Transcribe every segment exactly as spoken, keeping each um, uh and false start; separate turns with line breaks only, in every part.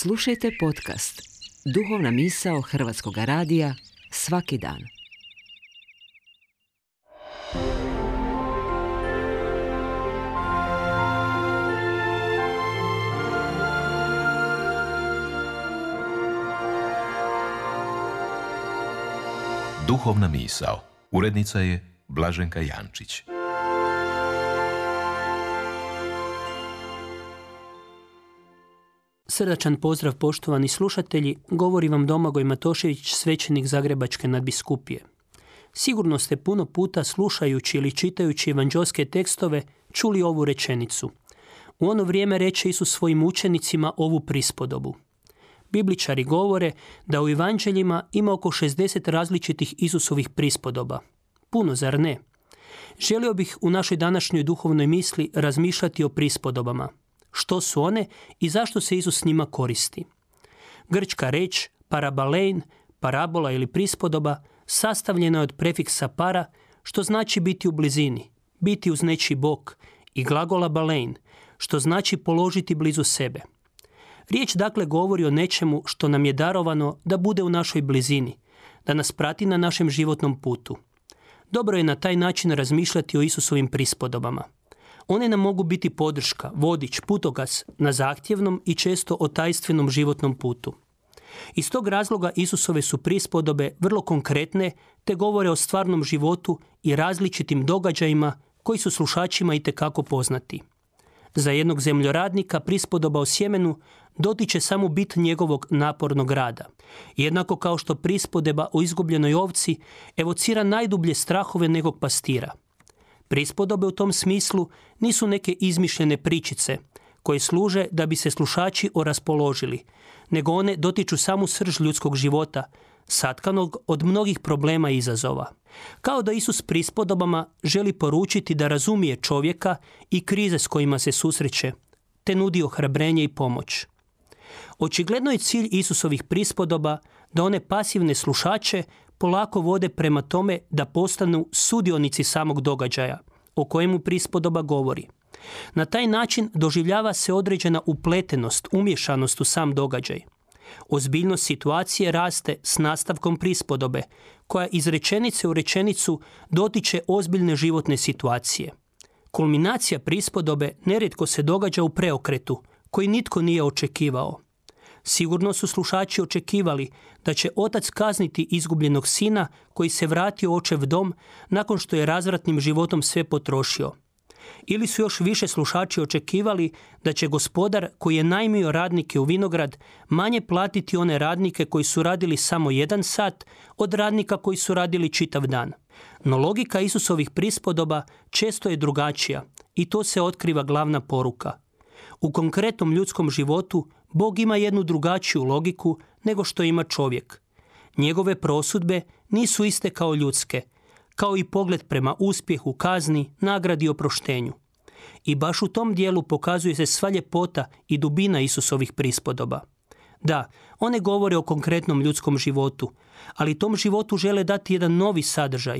Slušajte podcast Duhovna misao Hrvatskog radija svaki dan.
Duhovna misao. Urednica je Blaženka Jančić.
Srdačan pozdrav, poštovani slušatelji, govori vam Domagoj Matošević, svećenik Zagrebačke nadbiskupije. Sigurno ste puno puta slušajući ili čitajući evanđelske tekstove čuli ovu rečenicu. U ono vrijeme reče Isus svojim učenicima ovu prispodobu. Bibličari govore da u evanđeljima ima oko šezdeset različitih Isusovih prispodoba. Puno, zar ne? Želio bih u našoj današnjoj duhovnoj misli razmišljati o prispodobama. Što su one i zašto se Isus s njima koristi? Grčka reč parabalein, parabola ili prispodoba sastavljena je od prefiksa para, što znači biti u blizini, biti uz nečiji bok, i glagola balein, što znači položiti blizu sebe. Riječ dakle govori o nečemu što nam je darovano da bude u našoj blizini, da nas prati na našem životnom putu. Dobro je na taj način razmišljati o Isusovim prispodobama. One nam mogu biti podrška, vodič, putokaz na zahtjevnom i često otajstvenom životnom putu. Iz tog razloga Isusove su prispodobe vrlo konkretne te govore o stvarnom životu i različitim događajima koji su slušačima itekako poznati. Za jednog zemljoradnika prispodoba o sjemenu dotiče samo bit njegovog napornog rada. Jednako kao što prispodoba o izgubljenoj ovci evocira najdublje strahove nekog pastira. Prispodobe u tom smislu nisu neke izmišljene pričice koje služe da bi se slušači oraspoložili, nego one dotiču samu srž ljudskog života, satkanog od mnogih problema i izazova. Kao da Isus prispodobama želi poručiti da razumije čovjeka i krize s kojima se susreće, te nudi ohrabrenje i pomoć. Očigledno je cilj Isusovih prispodoba da one pasivne slušače polako vode prema tome da postanu sudionici samog događaja o kojemu prispodoba govori. Na taj način doživljava se određena upletenost, umješanost u sam događaj. Ozbiljnost situacije raste s nastavkom prispodobe, koja iz rečenice u rečenicu dotiče ozbiljne životne situacije. Kulminacija prispodobe nerijetko se događa u preokretu, koji nitko nije očekivao. Sigurno su slušači očekivali da će otac kazniti izgubljenog sina koji se vratio u očev dom nakon što je razvratnim životom sve potrošio. Ili su još više slušači očekivali da će gospodar koji je najmio radnike u vinograd manje platiti one radnike koji su radili samo jedan sat od radnika koji su radili čitav dan. No logika Isusovih prispodoba često je drugačija i to se otkriva glavna poruka. U konkretnom ljudskom životu Bog ima jednu drugačiju logiku nego što ima čovjek. Njegove prosudbe nisu iste kao ljudske, kao i pogled prema uspjehu, kazni, nagradi i oproštenju. I baš u tom dijelu pokazuje se sva ljepota i dubina Isusovih prispodoba. Da, one govore o konkretnom ljudskom životu, ali tom životu žele dati jedan novi sadržaj,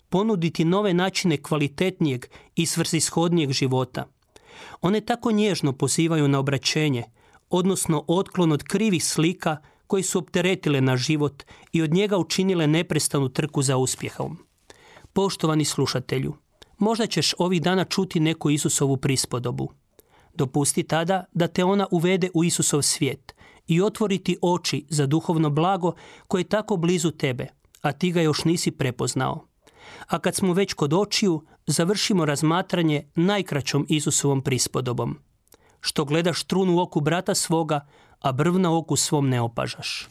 ponuditi nove načine kvalitetnijeg i svrsishodnijeg života. One tako nježno pozivaju na obraćenje, odnosno otklon od krivih slika koji su opteretile naš život i od njega učinile neprestanu trku za uspjehom. Poštovani slušatelju, možda ćeš ovih dana čuti neku Isusovu prispodobu. Dopusti tada da te ona uvede u Isusov svijet i otvoriti oči za duhovno blago koje je tako blizu tebe, a ti ga još nisi prepoznao. A kad smo već kod očiju, završimo razmatranje najkraćom Isusovom prispodobom. Što gledaš trun u oku brata svoga, a brv na oku svom ne opažaš.